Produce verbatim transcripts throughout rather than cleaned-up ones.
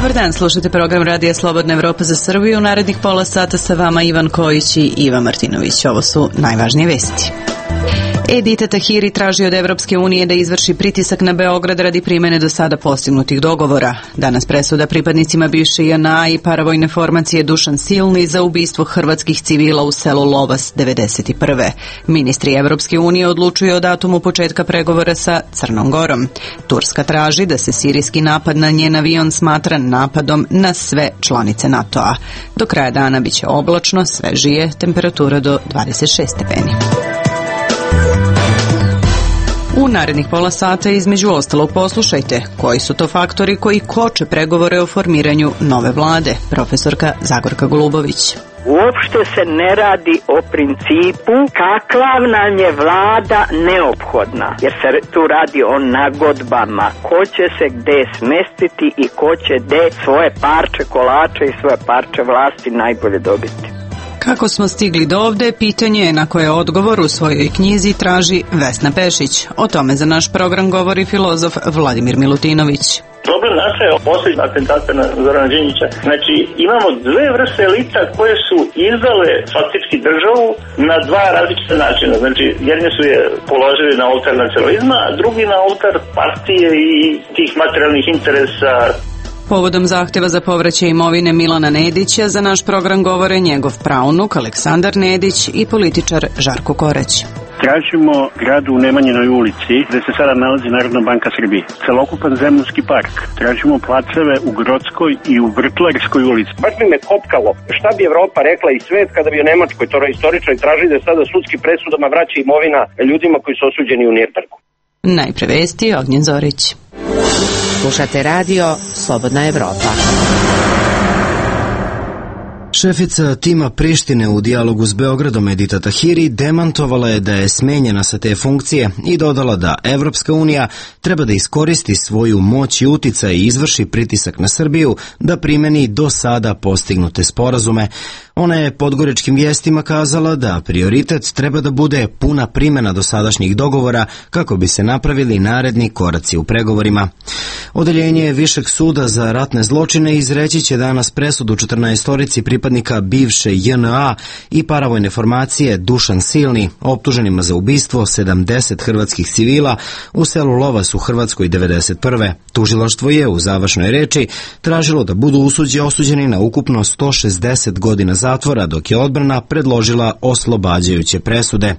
Dobar dan, slušate program Radija Slobodna Evropa za Srbiju. U narednih pola sata sa vama Ivan Kojić i Ivan Martinović. Ovo su najvažnije vesti. Edita Tahiri traži od Evropske unije da izvrši pritisak na Beograd radi primene do sada postignutih dogovora. Danas presuda pripadnicima bivše J N A i paravojne formacije Dušan Silni za ubistvo hrvatskih civila u selu Lovas devedeset prve. Ministri Evropske unije odlučuju o datumu početka pregovora sa Crnom Gorom. Turska traži da se sirijski napad na njen avion smatra napadom na sve članice NATO-a. Do kraja dana biće oblačno, svežije, temperatura do dvadeset šest stepeni. U narednih pola sata između ostalog poslušajte koji su to faktori koji koče pregovore o formiranju nove vlade. Profesorka Zagorka Golubović. Uopšte se ne radi o principu kakva nam je vlada neophodna, jer se tu radi o nagodbama, ko će se gde smestiti i ko će gde svoje parče kolača i svoje parče vlasti najbolje dobiti. Kako smo stigli do ovde, pitanje je na koje odgovor u svojoj knjizi traži Vesna Pešić. O tome za naš program govori filozof Vladimir Milutinović. Problem nastaje posle atentata na Zorana Đinđića. Znači, imamo dve vrste elita koje su izdale faktički državu na dva različita načina. Znači, jedni su je položili na oltar nacionalizma, a drugi na oltar partije i tih materijalnih interesa. Povodom zahteva za povraćaj imovine Milana Nedića za naš program govore njegov praunuk Aleksandar Nedić i političar Žarko Korać. Tražimo grad u Nemanjinoj ulici, gde se sada nalazi Narodna banka Srbije. Celokupan zemljanski park. Tražimo placeve u Grodskoj i u Vrtlarskoj ulici. Baš bi me kopkalo šta bi Evropa rekla i svet kada bi u Nemačkoj to istoričari tražili da sada sudski presudama vraća imovina ljudima koji su osuđeni u Nirnbergu. Najpre vesti, Ognjen Zorić. Slušate radio Slobodna Evropa. Šefica tima Prištine u dijalogu s Beogradom Edita Tahiri demantovala je da je smenjena sa te funkcije i dodala da Evropska unija treba da iskoristi svoju moć i uticaj i izvrši pritisak na Srbiju da primeni do sada postignute sporazume. Ona je podgoričkim vijestima kazala da prioritet treba da bude puna primjena dosadašnjih dogovora kako bi se napravili naredni koraci u pregovorima. Odeljenje Višeg suda za ratne zločine izreći će danas presudu četrnaestorici pripadnika bivše J N A i paravojne formacije Dušan Silni, optuženima za ubistvo sedamdeset hrvatskih civila u selu Lovas u Hrvatskoj devedeset prve. Tužilaštvo je u završnoj reči tražilo da budu usuđi osuđeni na ukupno sto šezdeset godina zatvora, dok je odbrana predložila oslobađajuće presude.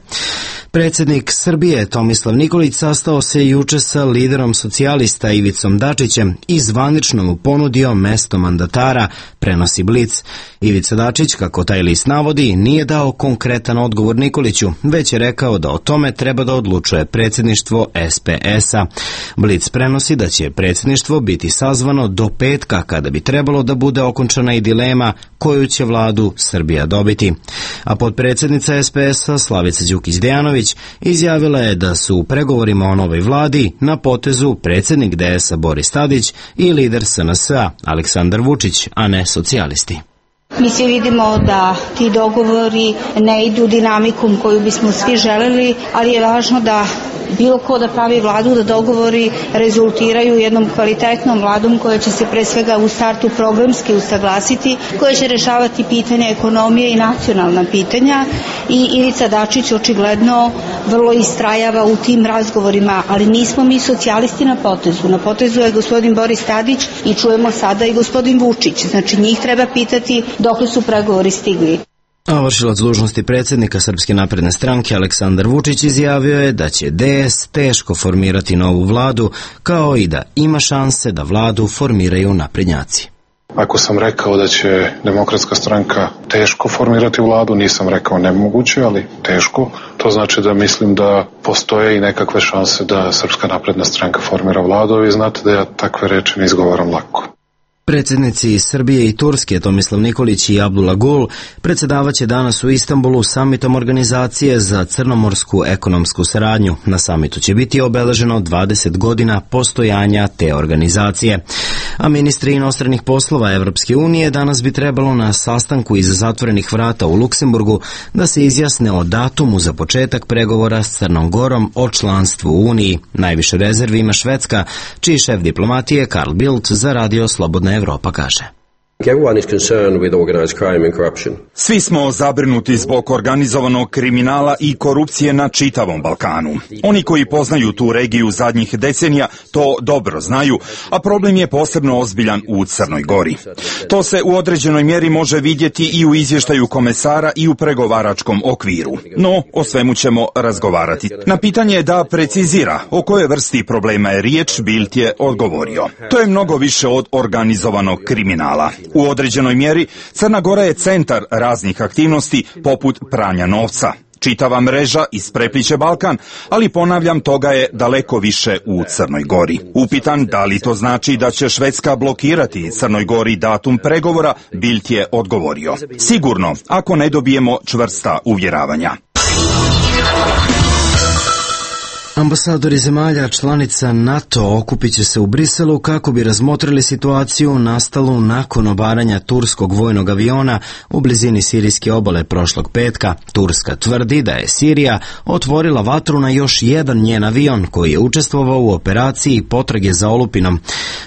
Predsjednik Srbije Tomislav Nikolić sastao se juče sa liderom socijalista Ivicom Dačićem i zvanično mu ponudio mesto mandatara, prenosi Blic. Ivica Dačić, kako taj list navodi, nije dao konkretan odgovor Nikoliću, već je rekao da o tome treba da odlučuje predsjedništvo S P S-a. Blic prenosi da će predsjedništvo biti sazvano do petka, kada bi trebalo da bude okončana i dilema koju će vladu Srbija dobiti. A potpredsjednica S P S-a Slavica Đukić-Dejanović izjavila je da su u pregovorima o novoj vladi na potezu predsjednik D S-a Boris Tadić i lider S N S-a Aleksandar Vučić, a ne socijalisti. Mi svi vidimo da ti dogovori ne idu dinamikom koju bismo svi želeli, ali je važno da bilo ko da pravi vladu, da dogovori rezultiraju jednom kvalitetnom vladom koja će se pre svega u startu programski usaglasiti, koja će rešavati pitanja ekonomije i nacionalna pitanja, i Ivica Dačić očigledno vrlo istrajava u tim razgovorima, ali nismo mi socijalisti na potezu. Na potezu je gospodin Boris Tadić i čujemo sada i gospodin Vučić. Znači njih treba pitati dokle su pregovori stigli. A vršilac dužnosti predsjednika Srpske napredne stranke Aleksandar Vučić izjavio je da će D S teško formirati novu vladu, kao i da ima šanse da vladu formiraju naprednjaci. Ako sam rekao da će Demokratska stranka teško formirati vladu, nisam rekao nemoguće, ali teško. To znači da mislim da postoje i nekakve šanse da Srpska napredna stranka formira vladu, a vi znate da ja takve reči ne izgovaram lako. Predsjednici Srbije i Turske Tomislav Nikolić i Abdullah Gul predsjedavaće danas u Istanbulu samitom organizacije za crnomorsku ekonomsku saradnju. Na samitu će biti obeleženo dvadeset godina postojanja te organizacije. A ministri inostranih poslova Evropske unije danas bi trebalo na sastanku iza zatvorenih vrata u Luksemburgu da se izjasne o datumu za početak pregovora s Crnom Gorom o članstvu u Uniji. Najviše rezervi ima Švedska, čiji šef diplomatije Carl Bildt za radio Slobodna Evropa kaže. Svi smo zabrinuti zbog organizovanog kriminala i korupcije na čitavom Balkanu. Oni koji poznaju tu regiju zadnjih decenija to dobro znaju, a problem je posebno ozbiljan u Crnoj Gori. To se u određenoj mjeri može vidjeti i u izvještaju komesara i u pregovaračkom okviru. No, o svemu ćemo razgovarati. Na pitanje da precizira o kojoj vrsti problema je riječ, Bildt je odgovorio. To je mnogo više od organizovanog kriminala. U određenoj mjeri Crna Gora je centar raznih aktivnosti poput pranja novca. Čitava mreža isprepliće Balkan, ali ponavljam, toga je daleko više u Crnoj Gori. Upitan da li to znači da će Švedska blokirati Crnoj Gori datum pregovora, Bildt je odgovorio. Sigurno, ako ne dobijemo čvrsta uvjeravanja. Ambasadori zemalja članica NATO okupit će se u Briselu kako bi razmotrili situaciju nastalu nakon obaranja turskog vojnog aviona u blizini sirijske obale prošlog petka. Turska tvrdi da je Sirija otvorila vatru na još jedan njen avion koji je učestvovao u operaciji potrage za olupinom.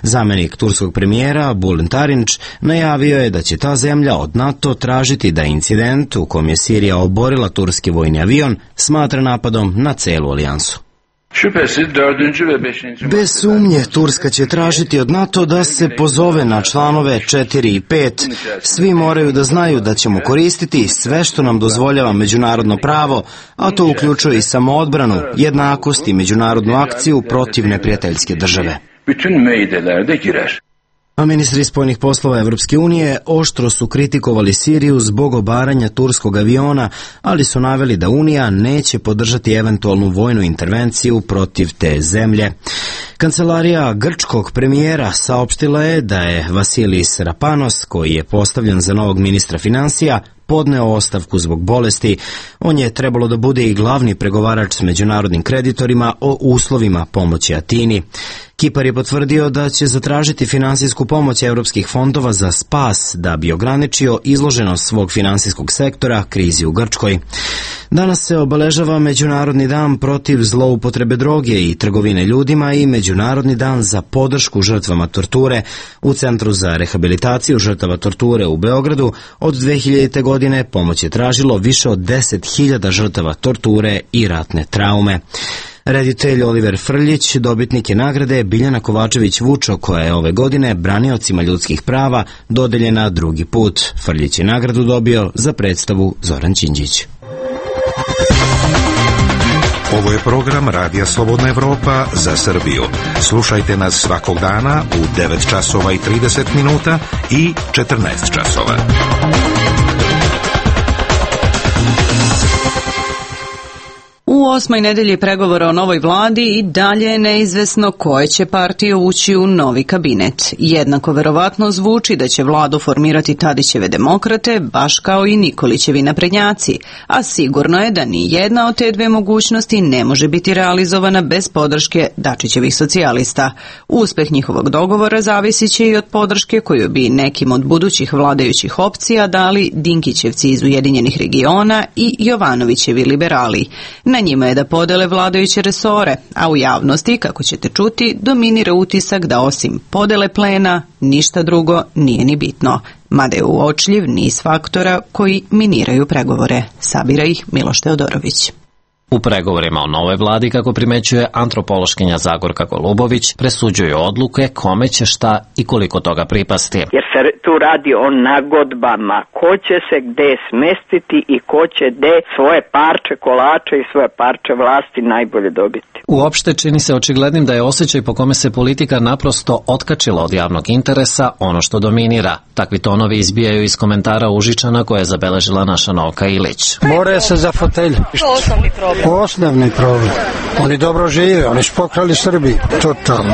Zamenik turskog premijera Bülent Arınç najavio je da će ta zemlja od NATO tražiti da incident u kom je Sirija oborila turski vojni avion smatra napadom na celu alijansu. Bez sumnje, Turska će tražiti od NATO da se pozove na članove četiri i pet. Svi moraju da znaju da ćemo koristiti sve što nam dozvoljava međunarodno pravo, a to uključuje i samoodbranu, jednakost i međunarodnu akciju protiv neprijateljske države. A ministri spoljnih poslova Evropske unije oštro su kritikovali Siriju zbog obaranja turskog aviona, ali su naveli da Unija neće podržati eventualnu vojnu intervenciju protiv te zemlje. Kancelarija grčkog premijera saopštila je da je Vasilis Rapanos, koji je postavljen za novog ministra finansija, podneo ostavku zbog bolesti. On je trebalo da bude i glavni pregovarač s međunarodnim kreditorima o uslovima pomoći Atini. Kipar je potvrdio da će zatražiti finansijsku pomoć evropskih fondova za spas da bi ograničio izloženost svog finansijskog sektora krizi u Grčkoj. Danas se obeležava Međunarodni dan protiv zloupotrebe droge i trgovine ljudima i Međunarodni dan za podršku žrtvama torture. U Centru za rehabilitaciju žrtava torture u Beogradu od dve hiljadite godine pomoć je tražilo više od deset hiljada žrtava torture i ratne traume. Reditelj Oliver Frljić dobitnik je nagrade Biljana Kovačević-Vučo, koja je ove godine braniocima ljudskih prava dodeljena drugi put. Frljić je nagradu dobio za predstavu Zoran Đinđić. Ovo je program Radija Slobodna Evropa za Srbiju. Slušajte nas svakog dana u devet časova i trideset minuta i četrnaest časova. U osmoj nedelji pregovora o novoj vladi i dalje je neizvesno koje će partije ući u novi kabinet. Jednako verovatno zvuči da će vladu formirati Tadićeve demokrate, baš kao i Nikolićevi naprednjaci, a sigurno je da ni jedna od te dve mogućnosti ne može biti realizovana bez podrške Dačićevih socijalista. Uspeh njihovog dogovora zavisit će i od podrške koju bi nekim od budućih vladajućih opcija dali Dinkićevci iz Ujedinjenih regiona i Jovanovićevi liberali. Na njima je da podele vladajuće resore, a u javnosti, kako ćete čuti, dominira utisak da osim podele plena, ništa drugo nije ni bitno. Mada je uočljiv niz faktora koji miniraju pregovore. Sabira ih Miloš Teodorović. U pregovorima o novoj vladi, kako primećuje antropološkinja Zagorka Golubović, presuđuju odluke kome će šta i koliko toga pripasti. Jer se tu radi o nagodbama, ko će se gde smestiti i ko će gde svoje parče kolača i svoje parče vlasti najbolje dobiti. Uopšte čini se očiglednim da je osjećaj po kome se politika naprosto otkačila od javnog interesa ono što dominira. Takvi tonovi izbijaju iz komentara Užičana koje je zabeležila naša Novka Ilić. More se za fotelju. Osnovni problem. Osnovni problem. Oni dobro žive, oni su pokrali Srbiji. Totalno.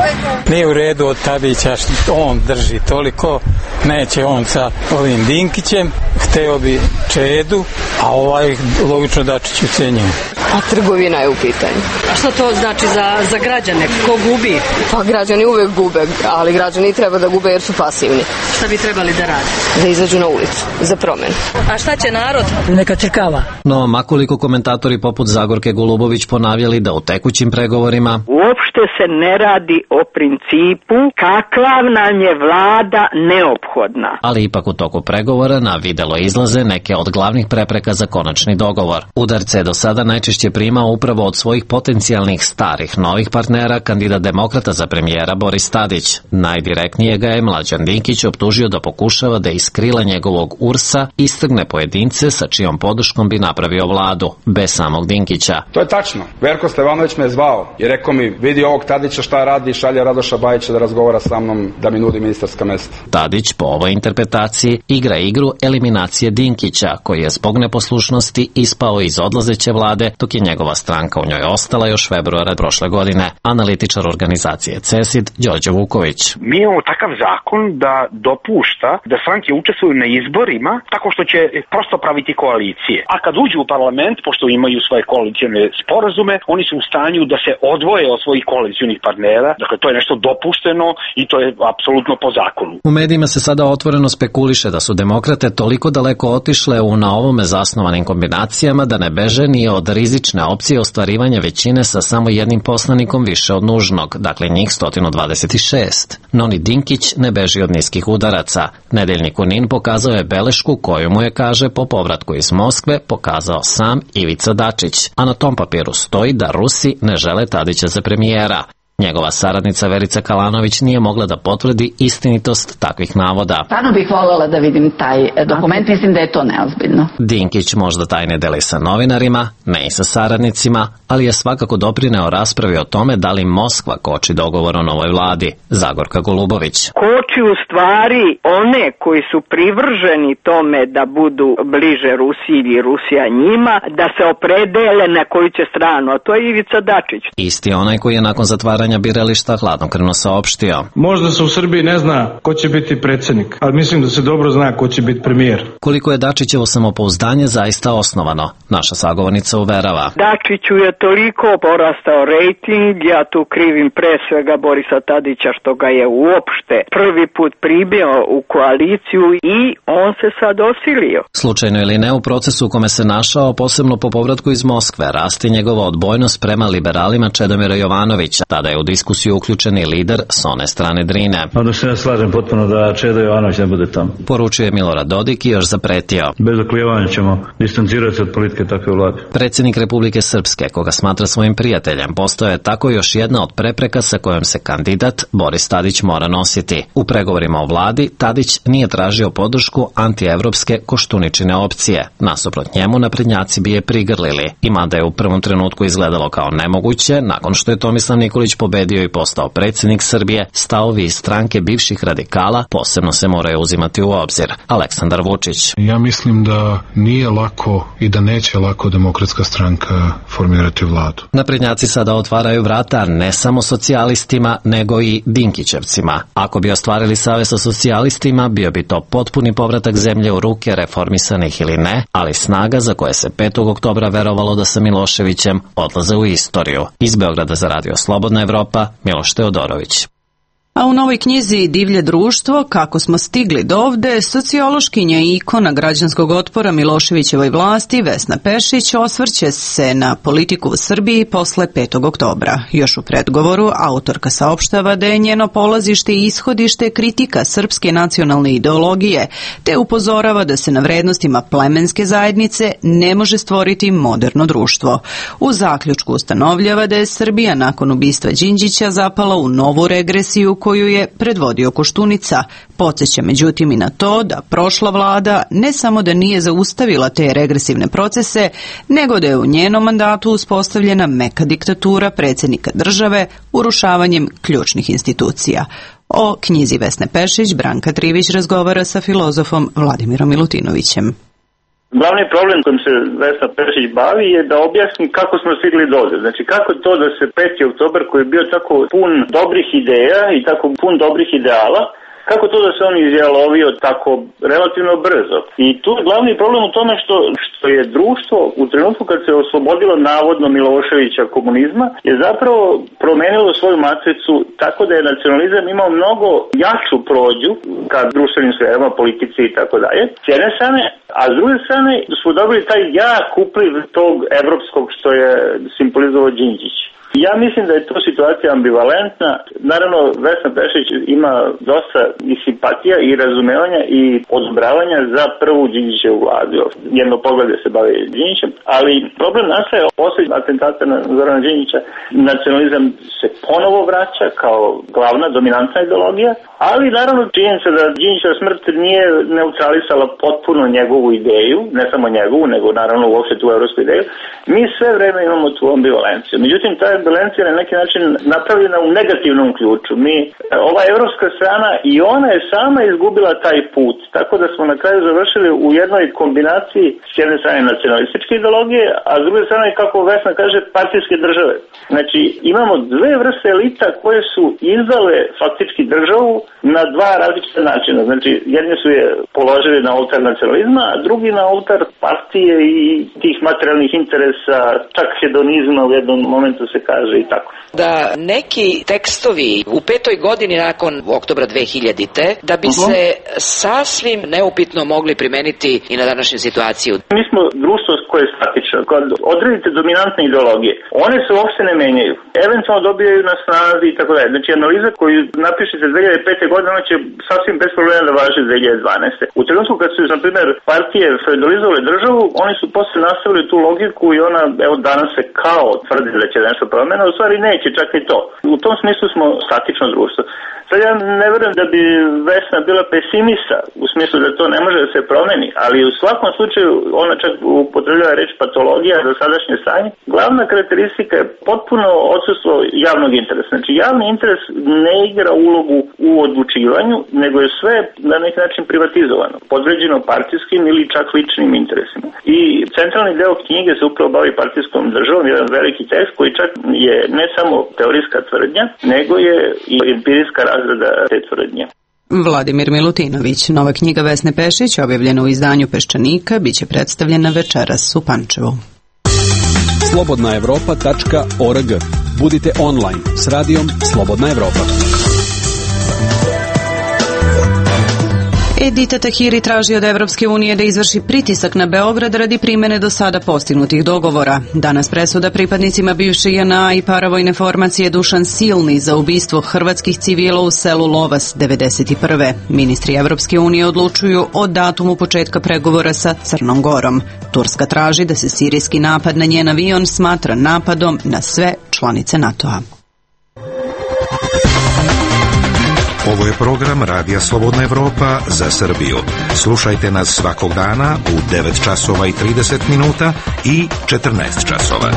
Nije u redu od Tadića, on drži toliko, neće on sa ovim Dinkićem, hteo bi Čedu, a ovaj logično Dačić ucenjuje. A trgovina je u pitanju. A šta to znači za, za građane? Ko gubi? Pa građani uvek gube, ali građani treba da gube jer su pasivni. Šta bi trebali da rade? Da izađu na ulicu, za promenu. A šta će narod? Neka čekava. No, makoliko komentatori poput Zagorke Golubović ponavljali da u tekućim pregovorima uopšte se ne radi o principu kakva nam je vlada neophodna. Ali ipak u toku pregovora na videlo izlaze neke od glavnih prepreka za konačni dogovor. Udarce je do sada najčešće primao upravo od svojih potencijalnih starih novih partnera kandidat demokrata za premijera Boris Tadić. Najdirektnije ga je Mlađan Dinkić optužio da pokušava da iz krila njegovog ursa istrgne pojedince sa čijom podrškom bi napravio vladu, bez samog Dinkića. To je tačno. Verko Stevanović me je zvao i rekao mi, vidi ovog Tadića šta radi, šalje Radoša Bajića da razgovara sa mnom, da mi nudi ministarska mesta. Tadić po ovoj interpretaciji igra igru eliminacije Dinkića, koji je zbog neposlušnosti ispao iz odlazeće vlade, dok je njegova stranka u njoj ostala još februara prošle godine. Analitičar organizacije CESID, Đorđe Vuković. Mi imamo takav zakon da dopušta da stranke učestvuju na izborima tako što će prosto praviti koalicije. A kad uđu u parlament, pošto imaju svoje koalicijne sporazume, oni su u stanju da se odvoje od svojih koalicijnih partnera. Dakle, to je nešto dopušteno i to je apsolutno po zakonu. U medijima se sada otvoreno spekuliše da su demokrate toliko daleko otišle u na ovome zasnovanim kombinacijama da ne beže ni od rizične opcije ostvarivanja većine sa samo jednim poslanikom više od nužnog, dakle njih sto dvadeset šest. No ni Dinkić ne beži od niskih udaraca. Nedeljnik Unin pokazao je belešku koju mu je, kaže, po povratku iz Moskve pokazao sam Ivica Dačić, a na tom papiru stoji da Rusi ne žele Tadića za premijera. Njegova saradnica Verica Kalanović nije mogla da potvrdi istinitost takvih navoda. Stvarno bih voljela da vidim taj dokument, mislim da je to neozbiljno. Dinkić možda tajne deli sa novinarima, ne i sa saradnicima, ali je svakako doprineo raspravi o tome da li Moskva koči dogovor o novoj vladi. Zagorka Golubović. Koči u stvari one koji su privrženi tome da budu bliže Rusiji ili Rusija njima, da se opredele na koju će stranu, a to je Ivica Dačić. Isti onaj koji je nakon zatvaranja birališta hladnokrvno saopštio. Možda se u Srbiji ne zna ko će biti predsjednik, ali mislim da se dobro zna ko će biti premijer. Koliko je Dačićevo samopouzdanje zaista osnovano, naša sagovornica uverava. Dačiću je toliko porastao rejting, ja tu krivim pre svega Borisa Tadića što ga je uopšte prvi put pribio u koaliciju i on se sad osilio. Slučajno ili ne, u procesu u kome se našao, posebno po povratku iz Moskve, rasti njegova odbojnost prema liberalima Čedomira Jovanovića. Tada je u diskusiju uključen i lider s one strane Drine. Onda se ja slažem potpuno da Čedo Jovanović ne bude tamo. Poručuje Milorad Dodik i još zapretio. Bez oklijevanja ćemo distancirati od politike takve vlade. Predsjednik Republike Srpske, koga smatra svojim prijateljem, postao je tako još jedna od prepreka sa kojom se kandidat Boris Tadić mora nositi. U pregovorima o vladi Tadić nije tražio podršku antievropske Koštuničine opcije. Nasuprot njemu naprednjaci bi je prigrlili. I mada je u prvom trenutku izgledalo kao nemoguće, nakon što je Tomislav Nikolić pobedio i postao predsjednik Srbije, stavovi iz stranke bivših radikala posebno se moraju uzimati u obzir. Aleksandar Vučić. Ja mislim da nije lako i da neće lako Demokratska stranka formirati vladu. Naprednjaci sada otvaraju vrata ne samo socijalistima, nego i Dinkićevcima. Ako bi ostvarili savez sa socijalistima, bio bi to potpuni povratak zemlje u ruke reformisanih ili ne, ali snaga za koje se petog oktobra verovalo da sa Miloševićem odlaze u istoriju. Iz Beograda za Radio Slobodna Evropa, Miloš Teodorović. A u novoj knjizi Divlje društvo, kako smo stigli do ovde, sociološkinja i ikona građanskog otpora Miloševićevoj vlasti Vesna Pešić osvrće se na politiku u Srbiji posle petog oktobra. Još u predgovoru autorka saopštava da je njeno polazište i ishodište kritika srpske nacionalne ideologije, te upozorava da se na vrednostima plemenske zajednice ne može stvoriti moderno društvo. U zaključku ustanovljava da je Srbija nakon ubistva Đinđića zapala u novu regresiju koju je predvodio Koštunica. Podsjeća međutim i na to da prošla vlada ne samo da nije zaustavila te regresivne procese, nego da je u njenom mandatu uspostavljena meka diktatura predsjednika države urušavanjem ključnih institucija. O knjizi Vesne Pešić Branka Trivić razgovara sa filozofom Vladimirom Milutinovićem. Glavni problem kojim se Vesna Pešić bavi je da objasni kako smo stigli do ovde. Znači kako to da se peti oktobar koji je bio tako pun dobrih ideja i tako pun dobrih ideala Kako to da se on izjalovio tako relativno brzo? I tu je glavni problem u tome što, što je društvo u trenutku kad se oslobodilo navodno Miloševića komunizma je zapravo promenilo svoju matricu tako da je nacionalizam imao mnogo jaču prođu ka društvenim sferama, politici i tako dalje. S jedne strane, a s druge strane smo dobili taj jak upliv tog evropskog što je simbolizovao Đinđić. Ja mislim da je to situacija ambivalentna. Naravno, Vesna Pešić ima dosta i simpatija i razumevanja i odobravanja za prvu Đinđićevu vladu. Jedno poglede se bavi Đinđićem, ali problem nastaje posle atentata na Zorana Đinđića. Nacionalizam se ponovo vraća kao glavna dominantna ideologija, ali naravno činjenica da Đinđićeva smrt nije neutralisala potpuno njegovu ideju, ne samo njegovu, nego naravno uopšte tu evropsku ideju. Mi sve vreme imamo tu ambivalenciju. Međutim, ta ambivalencija na neki način napravljena u negativnom ključu. Mi, ova evropska strana i ona je sama izgubila taj put, tako da smo na kraju završili u jednoj kombinaciji s jedne strane nacionalističke ideologije, a s druge strane, kako Vesna kaže, partijske države. Znači, imamo dve vrste elita koje su izdale faktički državu na dva različita načina. Znači, jedni su je položili na oltar nacionalizma, a drugi na oltar partije i tih materijalnih interesa, čak hedonizma u jednom momentu se kaže i tako. Da neki tekstovi u petoj godini nakon oktobra dve hiljadite da bi uh-huh. se sasvim neupitno mogli primeniti i na današnju situaciju. Mi smo društvo koje je statično. Kad odredite dominantne ideologije, one se uopšte ne menjaju. Eventualno dobijaju na snazi i tako dalje. Znači, analiza koju napišete dve hiljade pete. godine, ona će sasvim bez problema da važi dve hiljade dvanaeste. U trenutku kad su, na primjer, partije feudalizovale državu, oni su posle nastavili tu logiku i ona, evo, danas se kao tvrdi da će nešto promena, u stvari neće, čak i to. U tom smislu smo statično društvo. Sad ja ne verujem da bi Vesna bila pesimista u smislu da to ne može da se promeni, ali u svakom slučaju ona čak upotrebljava reč patologija za sadašnje stanje. Glavna karakteristika je potpuno odsustvo javnog interesa. Znači javni interes ne igra ulogu u odlučivanju, nego je sve na neki način privatizovano, podređeno partijskim ili čak ličnim interesima. I centralni deo knjige se upravo bavi partijskom državom, jedan veliki tekst koji čak je ne samo teorijska tvrdnja, nego je i empirijska razrada te tvrdnje. Vladimir Milutinović, nova knjiga Vesne Pešić, objavljena u izdanju Peščanika, biće predstavljena večeras u Pančevu. slobodna evropa tačka org. Budite online s radijom Slobodna Evropa. Edita Tahiri traži od Evropske unije da izvrši pritisak na Beograd radi primene do sada postignutih dogovora. Danas presuda pripadnicima bivše J N A i paravojne formacije Dušan Silni za ubistvo hrvatskih civila u selu Lovas devedeset prve. Ministri Evropske unije odlučuju o datumu početka pregovora sa Crnom Gorom. Turska traži da se sirijski napad na njen avion smatra napadom na sve članice NATO-a. Ovo je program Radija Slobodna Evropa za Srbiju. Slušajte nas svakog dana u devet časova i trideset minuta i četrnaest časova.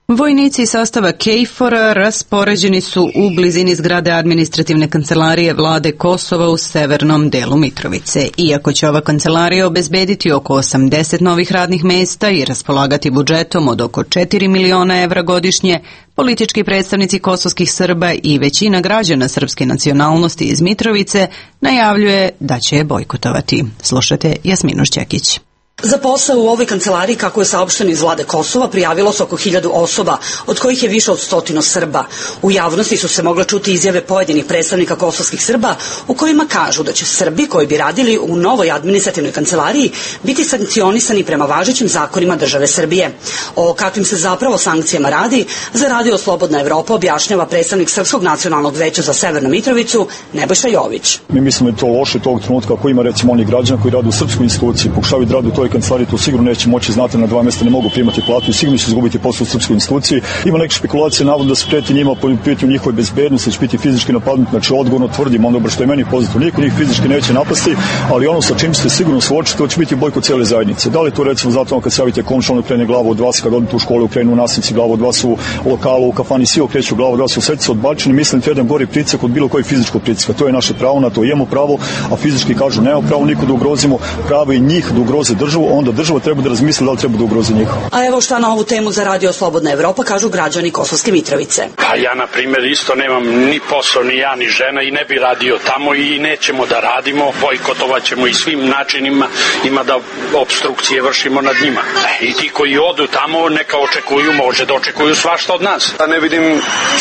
Vojnici sastava KFOR-a raspoređeni su u blizini zgrade administrativne kancelarije vlade Kosova u severnom delu Mitrovice. Iako će ova kancelarija obezbediti oko osamdeset novih radnih mesta i raspolagati budžetom od oko četiri miliona evra godišnje, politički predstavnici kosovskih Srba i većina građana srpske nacionalnosti iz Mitrovice najavljuje da će je bojkotovati. Slušajte Jasminu Šćekić. Za posao u ovoj kancelariji, kako je saopšteno iz vlade Kosova, prijavilo se oko hiljadu osoba, od kojih je više od stotinu Srba. U javnosti su se mogle čuti izjave pojedinih predstavnika kosovskih Srba u kojima kažu da će Srbi koji bi radili u novoj administrativnoj kancelariji biti sankcionisani prema važećim zakonima države Srbije. O kakvim se zapravo sankcijama radi, za Radio Slobodna Evropa objašnjava predstavnik Srpskog nacionalnog veća za Severnu Mitrovicu, Nebojša Jović. Mi mislimo da je to loše tog trenutka ako ima recimo oni građana koji rade u srpskoj instituciji, pokušavaju da rade u toj kancelariji, to sigurno neće moći, znate, na dva mjesta ne mogu primati platu i sigurno će izgubiti posao u srpskoj instituciji. Ima neke špekulacije, navodno da se preti njima po pitanju njihove bezbednosti, da će biti fizički napadnuti, znači odgovorno tvrdim, ono što je meni pozitivno, niko njih fizički neće napasti, ali ono sa čim ste sigurno suočiti, to će biti bojkot cijele zajednice. Da li to recimo zato kad se javite komšalno krene glavu od vas, kad odete u školu, krenu u nastavnici glavu od vas, u lokalu, u kafani, svi okreću glavu od vas, u srcu odbačeni, mislim da jedan gori pritisak od bilo kojeg fizičkog pritiska. To je naše pravo, na to imamo pravo, a fizički kažu nemamo pravo niko da ugrozimo, pravo i njih da ugroze državu. državu, onda država treba da razmisli da li treba da ugrozi njih. A evo šta na ovu temu za Radio Slobodna Evropa kažu građani Kosovske Mitrovice. Pa ja, na primjer, isto nemam ni posao, ni ja, ni žena i ne bi radio tamo i nećemo da radimo, bojkotovat ćemo i svim načinima, ima da obstrukcije vršimo nad njima. E, I ti koji odu tamo neka očekuju, može da očekuju svašta od nas. Ja ne vidim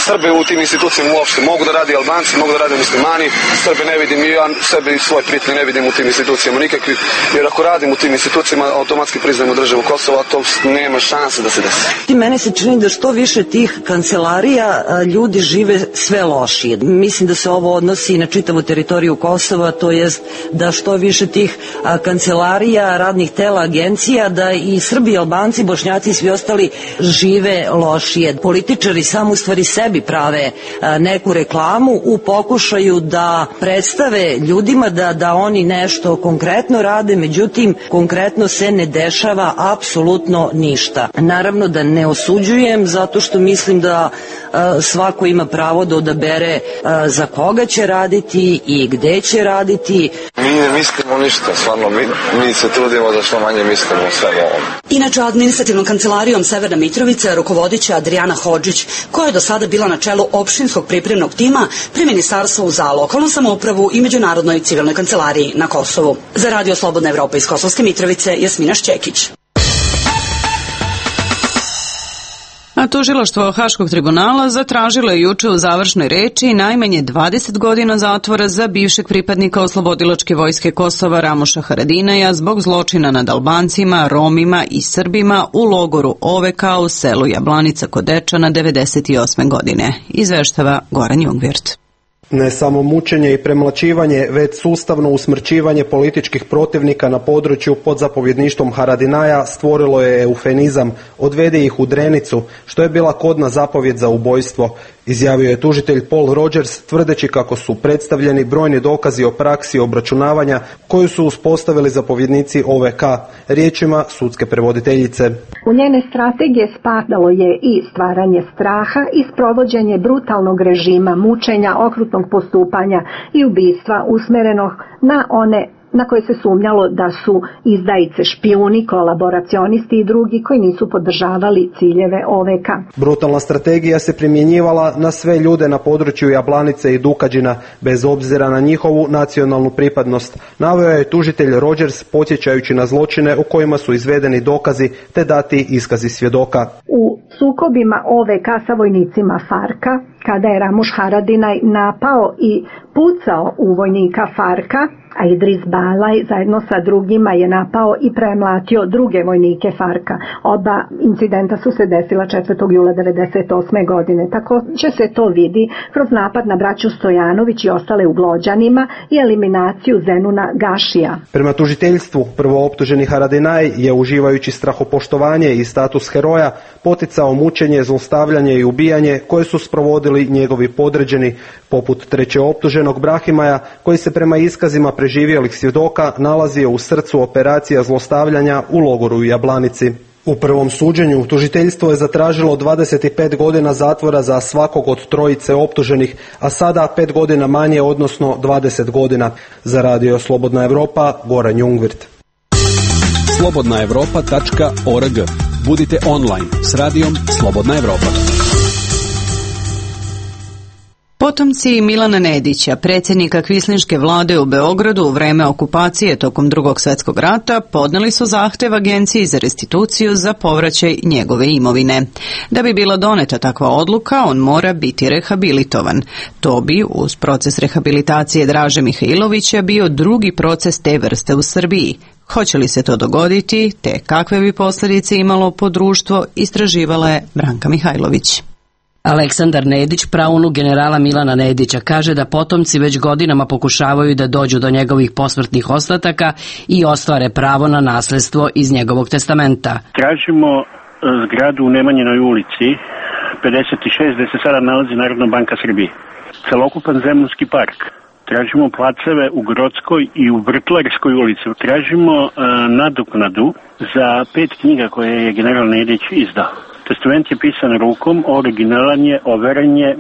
Srbe u tim institucijama uopšte. Mogu da radi Albanci, mogu da rade muslimani, Srbe ne vidim i ja sebe i svoje prijatelje ne vidim u tim institucijama nikakvih, jer ako radim u tim institucijama automatski priznajemo državu Kosova, a to nema šanse da se desi. Mene se čini da što više tih kancelarija ljudi žive sve lošije. Mislim da se ovo odnosi na čitavu teritoriju Kosova, to jest da što više tih kancelarija, radnih tela, agencija, da i Srbi, Albanci, Bošnjaci i svi ostali žive lošije. Političari samo u stvari sebi prave neku reklamu u pokušaju da predstave ljudima da, da oni nešto konkretno rade, međutim konkretno se ne dešava apsolutno ništa. Naravno da ne osuđujem zato što mislim da a, svako ima pravo da odabere a, za koga će raditi i gde će raditi. Mi ne mislimo ništa, stvarno mi, mi se trudimo da što manje mislimo o svemu ovom. Inače, administrativnom kancelarijom Severna Mitrovica rukovodit će Adriana Hodžić, koja je do sada bila na čelu opštinskog pripremnog tima pri Ministarstvu za lokalnu samoupravu i Međunarodnoj civilnoj kancelariji na Kosovu. Za Radio Slobodna Evropa iz Kosovske Mitrovice, Jasmina Šćekić. A tužilaštvo Haškog tribunala zatražilo je juče u završnoj reči najmanje dvadeset godina zatvora za bivšeg pripadnika Oslobodilačke vojske Kosova Ramuša Haradinaja zbog zločina nad Albancima, Romima i Srbima u logoru O V K u selu Jablanica kod Dečana devedeset osme godine. Izveštava Goran Jungvirt. Ne samo mučenje i premlaćivanje, već sustavno usmrćivanje političkih protivnika na području pod zapovjedništvom Haradinaja stvorilo je eufemizam odvede ih u Drenicu, što je bila kodna zapovjed za ubojstvo, izjavio je tužitelj Paul Rogers, tvrdeći kako su predstavljeni brojni dokazi o praksi obračunavanja koju su uspostavili zapovjednici O V K, riječima sudske prevoditeljice. U njene strategije spadalo je i stvaranje straha i sprovođenje brutalnog režima, mučenja, okrutnog postupanja i ubistva usmerenog na one na koje se sumnjalo da su izdajice, špijuni, kolaboracionisti i drugi koji nisu podržavali ciljeve O V K. Brutalna strategija se primjenjivala na sve ljude na području Jablanice i Dukađina, bez obzira na njihovu nacionalnu pripadnost, naveo je tužitelj Rogers, podsjećajući na zločine u kojima su izvedeni dokazi te dati iskazi svjedoka. U sukobima O V K sa vojnicima Farka, kada je Ramuš Haradinaj napao i pucao u vojnika Farka, a Idris Balaj zajedno sa drugima je napao i premlatio druge vojnike Farka. Oba incidenta su se desila četvrtog jula devedeset osme godine. Također se to vidi kroz napad na braću Stojanović i ostale u Glođanima i eliminaciju Zenuna Gašija. Prema tužiteljstvu, prvooptuženi Haradinaj je, uživajući strahopoštovanje i status heroja, poticao mučenje, zlostavljanje i ubijanje koje su sprovodili njegovi podređeni, poput trećeoptuženog Brahimaja, koji se prema iskazima preživjelih svjedoka nalazio u srcu operacija zlostavljanja u logoru u Jablanici. U prvom suđenju tužiteljstvo je zatražilo dvadeset pet godina zatvora za svakog od trojice optuženih, a sada pet godina manje, odnosno dvadeset godina. Za Radio Slobodna Evropa, Goran Jungvirt. slobodna evropa tačka org. Budite online s radijom Slobodna Evropa. Potomci Milana Nedića, predsjednika kvislinške vlade u Beogradu u vreme okupacije tokom Drugog svjetskog rata, podneli su zahtev Agenciji za restituciju za povraćaj njegove imovine. Da bi bila doneta takva odluka, on mora biti rehabilitovan. To bi, uz proces rehabilitacije Draže Mihajlovića, bio drugi proces te vrste u Srbiji. Hoće li se to dogoditi, te kakve bi posljedice imalo po društvo, istraživala je Branka Mihajlović. Aleksandar Nedić, praunuk generala Milana Nedića, kaže da potomci već godinama pokušavaju da dođu do njegovih posmrtnih ostataka i ostvare pravo na nasljedstvo iz njegovog testamenta. Tražimo zgradu u Nemanjinoj ulici pedeset šest gde se sada nalazi Narodna banka Srbije. Celokupan Zemunski park. Tražimo placeve u Grodskoj i u Vrtlarskoj ulici. Tražimo uh, nadoknadu za pet knjiga koje je general Nedić izdao. Testament je pisan rukom, originalan je, overen je. E,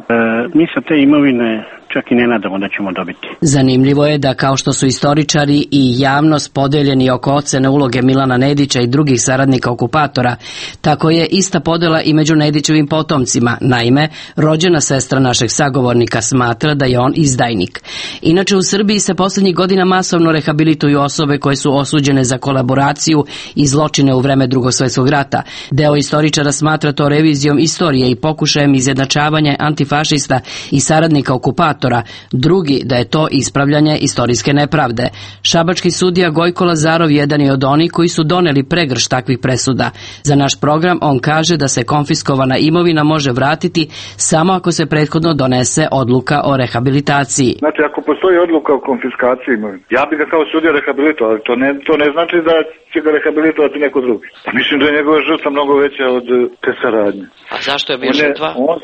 mi sa te imovine čak i ne nadamo da ćemo dobiti. Zanimljivo je da kao što su istoričari i javnost podeljeni oko ocene uloge Milana Nedića i drugih saradnika okupatora, tako je ista podela i među Nedićevim potomcima. Naime, rođena sestra našeg sagovornika smatra da je on izdajnik. Inače, u Srbiji se posljednjih godina masovno rehabilituju osobe koje su osuđene za kolaboraciju i zločine u vreme Drugog svjetskog rata. Deo istoričara smatra to revizijom istorije i pokušajem izjednačavanja antifašista i saradnika okupatora, drugi da je to ispravljanje istorijske nepravde. Šabački sudija Gojko Lazarov jedan je od onih koji su doneli pregršt takvih presuda. Za naš program on kaže da se konfiskovana imovina može vratiti samo ako se prethodno donese odluka o rehabilitaciji. Znači, ako postoji odluka o konfiskaciji imovine, ja bih ga kao sudija rehabilitovao, ali to ne, to ne znači da će ga rehabilitovati neko drugi. Pa mislim da je njegova žrtva mnogo veća od te saradnje. A zašto je bio on je, žrtva? On,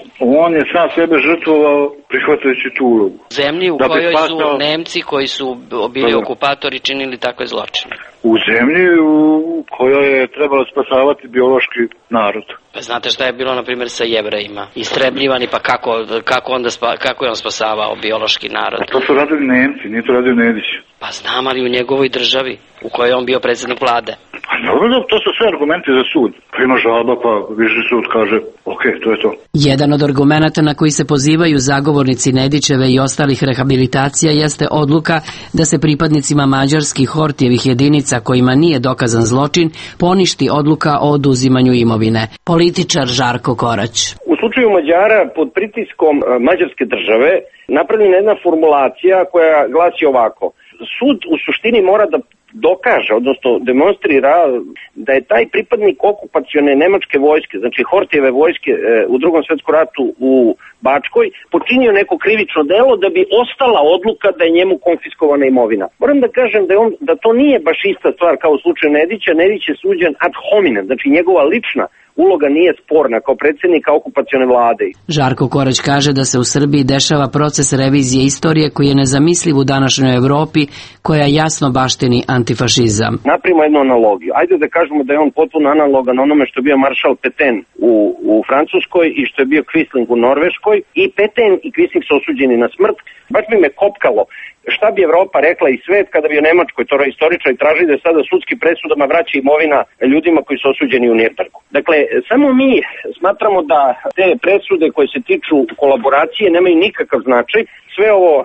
on je sam sebe žrtvovao prihvatajući tu ulogu. Zemlji u da kojoj spasao... su Nemci koji su bili da, okupatori činili takve zločine. U zemlji u kojoj je trebalo spasavati biološki narod. Pa znate šta je bilo, na primjer, sa Jevrejima? Istrebljivani, pa kako, kako, onda spa, kako je on spasavao biološki narod? A to su radili Nemci, nije to radio Nedić. Pa znam, ali u njegovoj državi, u kojoj je on bio predsjednik vlade. Pa dobro, to su sve argumenti za sud. Pa ima žalba, pa viši sud kaže, ok, to je to. Jedan od argumenata na koji se pozivaju zagovornici Nedićeve i ostalih rehabilitacija jeste odluka da se pripadnicima mađarskih Hortijevih jedinica kojima nije dokazan zločin poništi odluka o oduzimanju imovine. Političar Žarko Korać. U slučaju Mađara pod pritiskom mađarske države napravljena jedna formulacija koja glasi ovako. Sud u suštini mora da dokaže, odnosno demonstrira da je taj pripadnik okupacione nemačke vojske, znači Hortijeve vojske u Drugom svjetskom ratu u Bačkoj, počinio neko krivično delo da bi ostala odluka da je njemu konfiskovana imovina. Moram da kažem da, je on, da to nije baš ista stvar kao u slučaju Nedića. Nedić je suđen ad hominem, znači njegova lična uloga nije sporna kao predsjednika okupacione vlade. Žarko Korać kaže da se u Srbiji dešava proces revizije istorije koji je nezamisliv u današnjoj Evropi, koja jasno baštini antifašizam. Napravimo jednu analogiju. Ajde da kažemo da je on potpuno analogan onome što je bio maršal Petain u, u Francuskoj i što je bio Quisling u Norveškoj. I Petain i Quisling su osuđeni na smrt. Baš bi me kopkalo šta bi Evropa rekla i svet kada bi u Nemačkoj, to istoričari tražili da sada sudskim presudama vraća imovina ljudima koji su osuđeni u Nürnbergu. Dakle, samo mi smatramo da te presude koje se tiču kolaboracije nemaju nikakav značaj. Sve ovo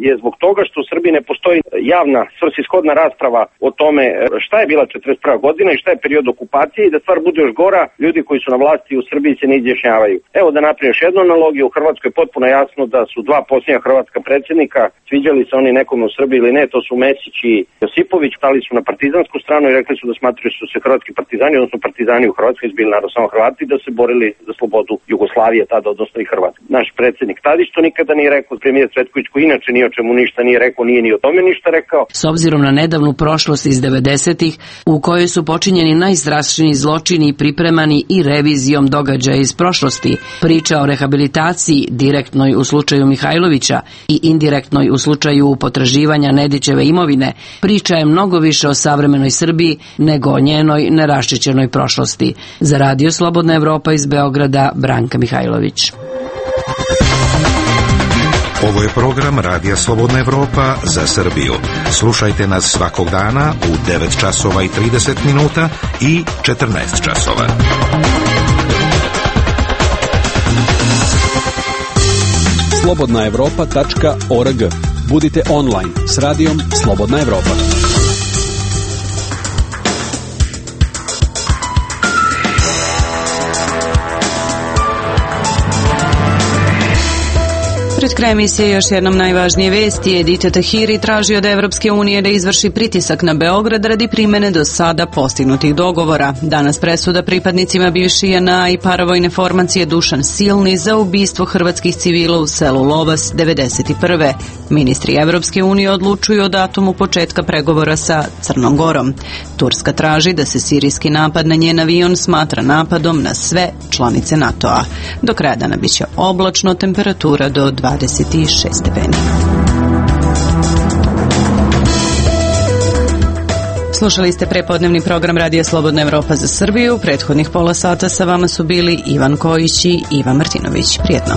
je zbog toga što u Srbiji ne postoji javna svrsishodna rasprava o tome šta je bila četrdeset prva godina i šta je period okupacije i da stvar bude još gora, ljudi koji su na vlasti u Srbiji se ne izjašnjavaju. Evo da napravim još jednu analogiju, u Hrvatskoj je potpuno jasno da su dva posljednja hrvatska predsjednika, sviđali se oni nekome u Srbiji ili ne, to su Mesić i Josipović, stali su na partizansku stranu i rekli su da smatraju su se hrvatski partizani, odnosno partizani u Hrvatskoj izbili narod samo Hrvati, da se borili za slobodu Jugoslavije tada, odnosno i Hrvatske. Naš predsjednik Tadić to nikada nije rekao, premijer Cvetković koji inače ni o čemu ništa nije rekao, nije ni o tome ništa rekao. S obzirom na nedavnu prošlost iz devedesetih u kojoj su počinjeni najstrašniji zločini i pripremani i revizijom događaja iz prošlosti, priča o rehabilitaciji direktnoj u slučaju Mihajlovića i indirektnoj u slučaju potraživanja Nedićeve imovine, priča je mnogo više o savremenoj Srbiji nego o njenoj neraščićenoj prošlosti. Za Radio Slobodna Evropa iz Beograda, Branka Mihajlović. Ovo je program Radija Slobodna Evropa za Srbiju. Slušajte nas svakog dana u devet časova i trideset minuta i četrnaest časova. slobodna evropa tačka org. Budite online s radijom Slobodna Evropa. Pred krajem emisije još jednom najvažnije vesti. Edita Tahiri traži od Evropske unije da izvrši pritisak na Beograd radi primene do sada postignutih dogovora. Danas presuda pripadnicima bivši J N A i paravojne formacije Dušan Silni za ubistvo hrvatskih civila u selu Lovas devedeset prve. Ministri Evropske unije odlučuju o datumu početka pregovora sa Crnom Gorom. Turska traži da se sirijski napad na njen avion smatra napadom na sve članice NATO-a. Do kraja dana biće oblačno, temperatura do dvadeset šest stepeni. Slušali ste prepodnevni program Radija Slobodna Evropa za Srbiju. Prethodnih pola sata sa vama su bili Ivan Kojić i Ivan Martinović. Prijetno.